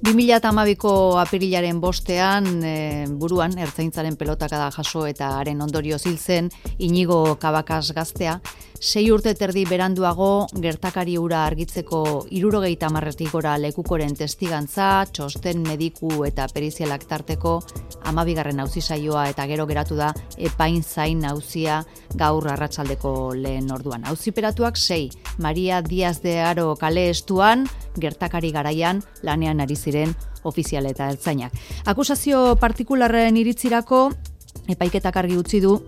2012ko apirilaren 5ean buruan ertzaintzaren pelotakada jaso eta haren ondorioz hil zen Inigo Cabakas gaztea. 6 urte terdi beranduago gertakari hura argitzeko 70 gora lekukoren testigantza, txosten mediku eta perizialak tarteko 12. auzi-saioa eta gero geratu da epain zain auzia gaur arratsaldeko lehen orduan. Auziperatuak 6, Maria Díaz de Haro kale estuan, gertakari garaian lanean ari ziren ofizial eta ertzainak. Akusazio partikularren iritzirako epaiketak argi utzi du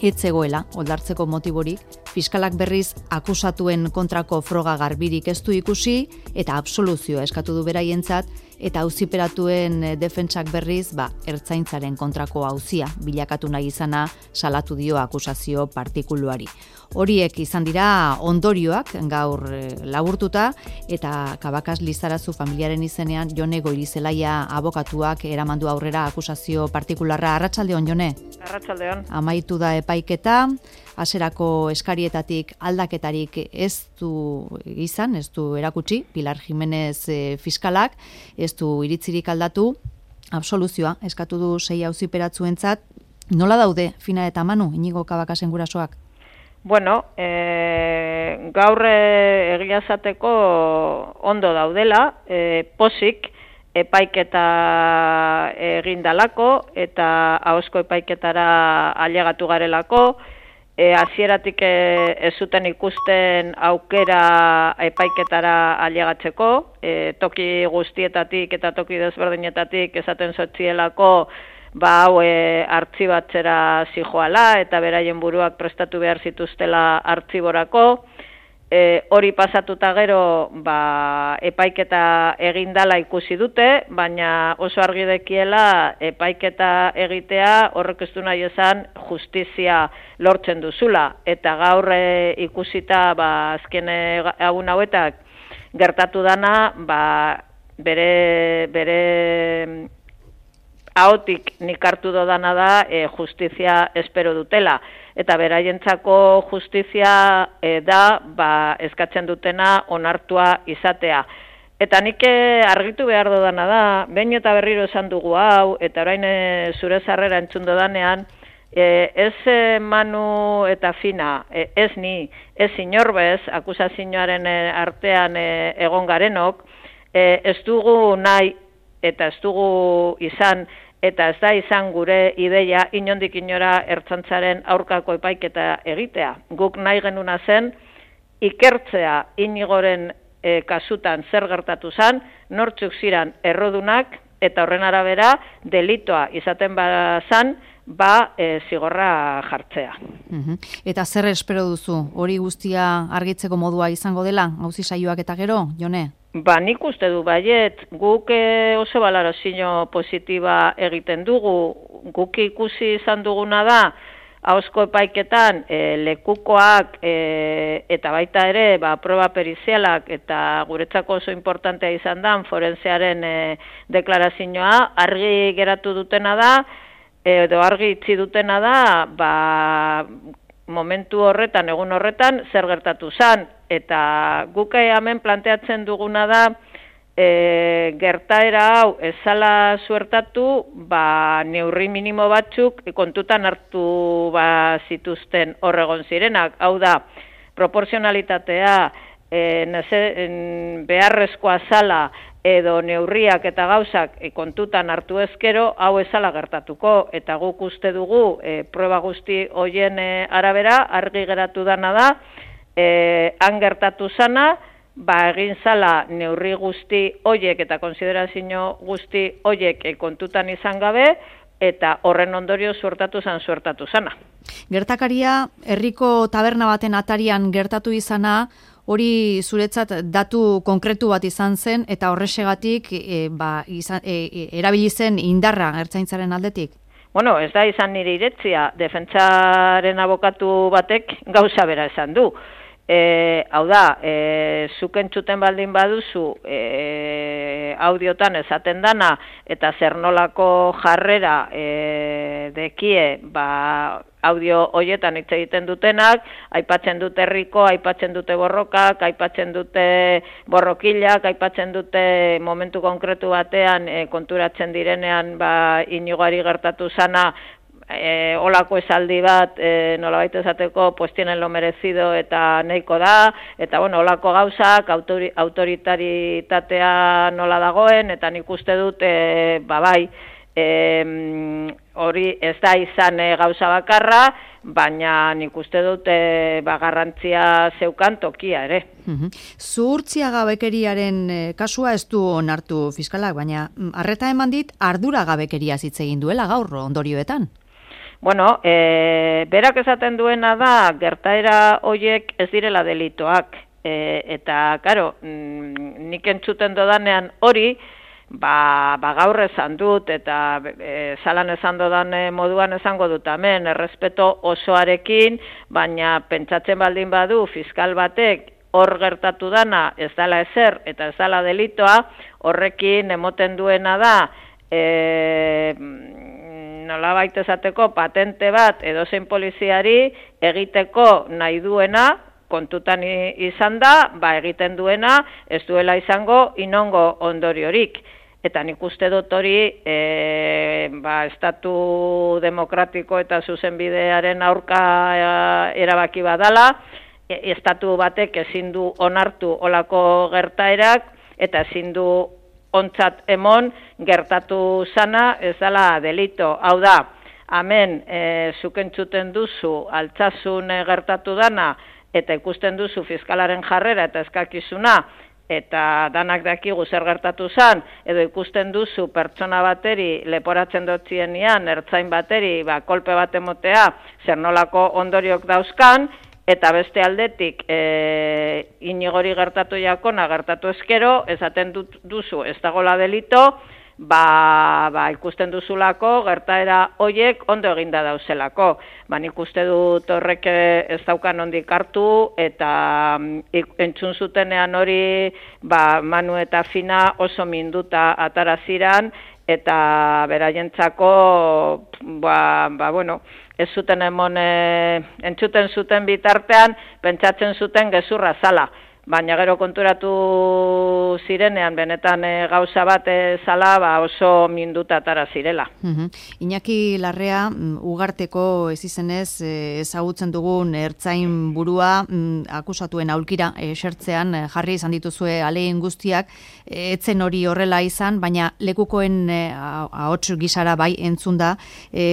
ez zegoela oldartzeko motiborik, fiskalak berriz akusatuen kontrako froga garbirik ez du ikusi eta absoluzioa eskatu du beraientzat eta auziperatuen defentsak berriz ertzaintzaren kontrako auzia bilakatu nahi izana salatu dio akusazio partikuluari. Horiek izan dira ondorioak gaur laburtuta eta Cabakas Lizarazu familiaren izenean Jone Goirizelaia abokatuak eramandu aurrera akusazio partikularra. Arratsaldeon, Jone. Arratsaldeon. Amaitu da epaiketa, hasierako eskarietatik aldaketarik ez du izan, ez du erakutsi, Pilar Jimenez fiskalak, ez du iritzirik aldatu, absoluzioa eskatu du 6 auziperatzuentzat. Nola daude Fina eta Manu, Inigo Cabakasen gurasoak? Bueno, gaur egia esateko ondo daudela, pozik epaiketa egindalako eta ahozko epaiketara ailegatu garelako, hasieratik ez zuten ikusten aukera epaiketara ailegatzeko, toki guztietatik eta toki desberdinetatik esaten zotzielako hau artxibatzera zijoala eta beraien buruak prestatu behar zituztela artxiborako. Hori pasatuta gero epaiketa egindala ikusi dute, baina oso argi dekiela epaiketa egitea horrek ez du nahi esan justizia lortzen duzula. Eta gaur ikusita azken egun hauetak gertatu dana bere ahotik nik hartu dodana da justizia espero dutela. Eta beraientzako justizia da eskatzen dutena onartua izatea. Eta nik argitu behar dodana da, behin eta berriro esan dugu hau, eta orain zure zarrera entzun dodanean, ez Manu eta Fina, ez ni, ez inorbez, akusazioaren artean egon garenok, ez dugu nahi eta ez dugu izan, eta ez da izan gure ideia inondik inora ertzaintzaren aurkako epaiketa egitea. Guk nahi genuna zen ikertzea Inigoren kasutan zer gertatu zen, nortzuk ziren errodunak eta horren arabera delitoa izaten bazan, zigorra jartzea. Eta zer espero duzu? Hori guztia argitzeko modua izango dela, auzi-saioak eta gero, Jone? Nik uste du baiet, guk oso balarazio positiba egiten dugu, guk ikusi izan duguna da, ahozko epaiketan lekukoak eta baita ere proba perizialak eta guretzako oso importantea izan da forensearen deklarazioa argi geratu dutena da, edo argi itzi dutena da, momentu horretan, egun horretan, zer gertatu zen. Eta guk hemen planteatzen duguna da, gertaera hau ezala suertatu, neurri minimo batzuk kontutan hartu zituzten horregon zirenak. Hau da, proporzionalitatea, beharrezkoa zala, edo neurriak eta gauzak kontutan hartu ezkero, hau ezala gertatuko. Eta guk uste dugu, proba guzti hoien arabera, argi geratu dana da, han gertatu zana, egin zala neurri guzti hoiek eta konsiderazio guzti hoiek kontutan izan gabe, eta horren ondorio suertatu zana. Gertakaria, herriko taberna baten atarian gertatu izana, hori zuretzat datu konkretu bat izan zen, eta horrexegatik erabili zen indarra ertzaintzaren aldetik? Bueno, ez da izan nire iretzia, defentsaren abokatu batek gauza bera esan du. Hau da, zuk entzuten baldin baduzu audiotan esaten dana eta zer nolako jarrera dekie audio hoietan hitz egiten dutenak, aipatzen dute herriko, aipatzen dute borrokak, aipatzen dute borrokilak, aipatzen dute momentu konkretu batean konturatzen direnean Inigoari gertatu zana olako esaldi bat nolabait esateko pues tienen lo merecido eta nahiko da, eta olako gauzak autoritaritatea nola dagoen, eta nik uste dut bai, hori ez da izan gauza bakarra, baina nik uste dut garrantzia zeukan tokia ere. Zuhurtziagabekeriaren kasua ez du onartu fiskalak, baina arreta eman dit arduragabekeria hitz egin duela gaur ondorioetan. Berak esaten duena da, gertaera hoiek ez direla delitoak, eta, karo, nik entzuten dodanean hori, gaur esan dut, eta zalan esan dodan moduan esango dut hemen, errespeto osoarekin, baina pentsatzen baldin badu fiskal batek hor gertatu dana ez dela ezer, eta ez dela delitoa, horrekin emoten duena da, nolabait esateko patente bat edozein poliziari egiteko nahi duena, kontutan izan da, egiten duena, ez duela izango inongo ondoriorik. Eta nik uste dut hori, estatu demokratiko eta zuzenbidearen aurka erabaki badala, estatu batek ezin du onartu olako gertaerak, eta ezin du ontzat emon gertatu zana ez dela delito. Hau da, hemen zuk entzuten duzu Altsasun gertatu dana eta ikusten duzu fiskalaren jarrera eta eskakizuna eta danak dakigu zer gertatu zan, edo ikusten duzu pertsona bateri leporatzen dotzienean ertzain bateri kolpe bat emotea zer nolako ondoriok dauzkan, eta beste aldetik Inigori gertatu jakona gertatu eskero, esaten duzu ez dagoela delito, ikusten duzulako gertaera hoiek ondo eginda dauzelako. Nik uste dut horrek ez daukan ondik hartu, eta entzun zutenean hori Manu eta Fina oso minduta ataraziran, eta beraientzako ez zuten emon entzuten zuten bitartean pentsatzen zuten gezurra zala, baina gero konturatu zirenean benetan gauza bat zala oso minduta atara zirela. Iñaki Larrea, Ugarteko ez izenez ezagutzen dugun ertzain burua akusatuen aulkira esertzean jarri izan dituzue ahalegin guztiak, etzen hori horrela izan, baina lekukoen ahots gisara bai entzun da.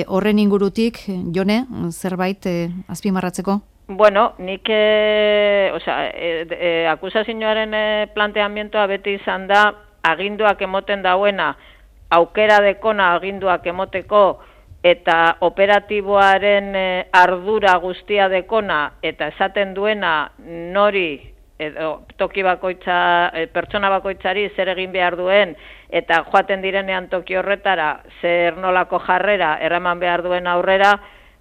Horren ingurutik, Jone, zerbait azpimarratzeko? Nik akusazioaren planteamientoa beti izan da aginduak emoten dauena, aukera dekona aginduak emoteko, eta operatiboaren ardura guztia dekona, eta esaten duena nori, toki bakoitza, pertsona bakoitzari zer egin behar duen, eta joaten direnean toki horretara zer nolako jarrera eraman behar duen aurrera,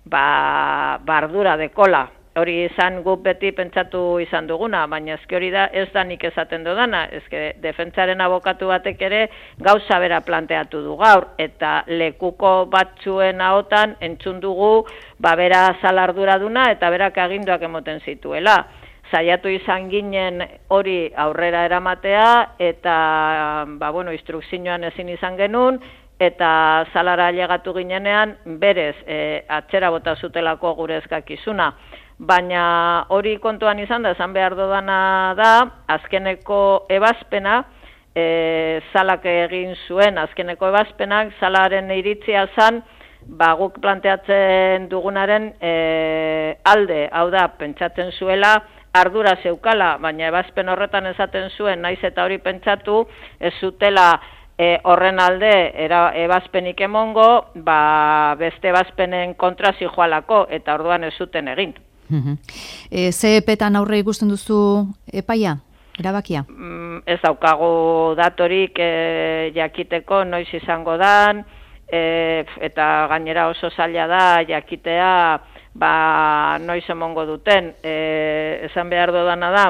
ardura dekola. Hori izan guk beti pentsatu izan duguna, baina ezke hori da ez da nik esaten dudana, ezke defentsaren abokatu batek ere gauza bera planteatu du gaur, eta lekuko batzuen ahotan entzun dugu bera zalarduraduna eta berak aginduak emoten zituela. Saiatu izan ginen hori aurrera eramatea, eta instrukzioan ezin izan genuen, eta zalara ailegatu ginenean berez atzera bota zutelako gure eskakizuna. Baina hori kontuan izan da, esan behar dodana da, azkeneko ebazpena, zalak egin zuen, azkeneko ebazpenak, zalaren iritzia zan, guk planteatzen dugunaren alde, hau da, pentsatzen zuela, ardura zeukala, baina ebazpen horretan esaten zuen, naiz eta hori pentsatu, ez zutela horren alde ebazpenik emongo, beste ebazpenen kontra zijoalako, eta orduan ez zuten egin. Ze epetan aurre ikusten duzu epaia, erabakia? Ez daukagu datorik jakiteko noiz izango dan, eta gainera oso zaila da jakitea noiz emongo duten. Esan behar dudana da,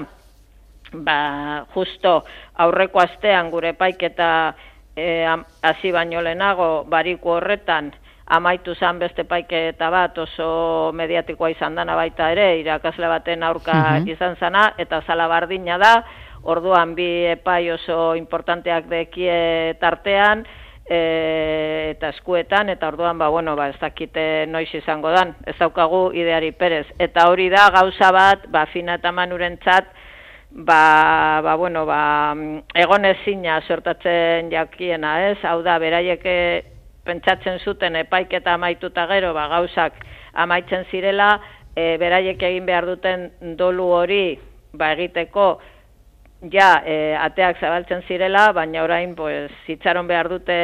justo aurreko astean gure epaiketa hasi baino lehenago bariku horretan amaitu zen beste epaiketa bat oso mediatikoa izan dana baita ere, irakasle baten aurka izan zana, eta zala bardina da, orduan bi epai oso importanteak dekie tartean, eta eskuetan, eta orduan, ez dakite noiz izango dan, ez daukagu ideari perez. Eta hori da, gauza bat, Fina eta Manurentzat, egon ezina sortatzen jakiena, ez? Hau da, beraiek pentsatzen zuten epaiketa amaituta gero, gauzak amaitzen zirela, beraiek egin behar duten dolu hori, egiteko, ateak zabaltzen zirela, baina orain zitzaron behar dute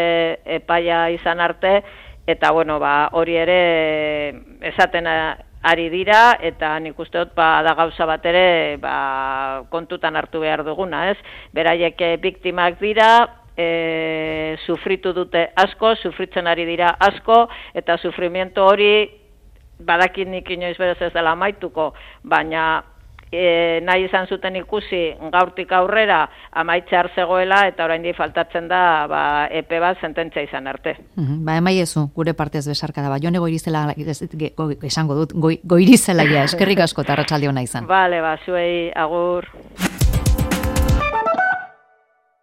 epaia izan arte, eta hori ere esaten ari dira, eta nik uste dut da gauza bat ere kontutan hartu behar duguna, ez? Beraiek biktimak dira, sufritu dute asko, sufritzen ari dira asko, eta sufrimiento hori badakit nik inoiz berez ez dela amaituko, baina nahi izan zuten ikusi gaurtik aurrera amaitzear zegoela, eta oraindik faltatzen da epe bat sententzia izan arte. Emaiezu, gure partez besarkada Jone Goirizela, esango dut, Goirizela eskerrik asko eta arratsalde ona izan. Bale, zuei agur.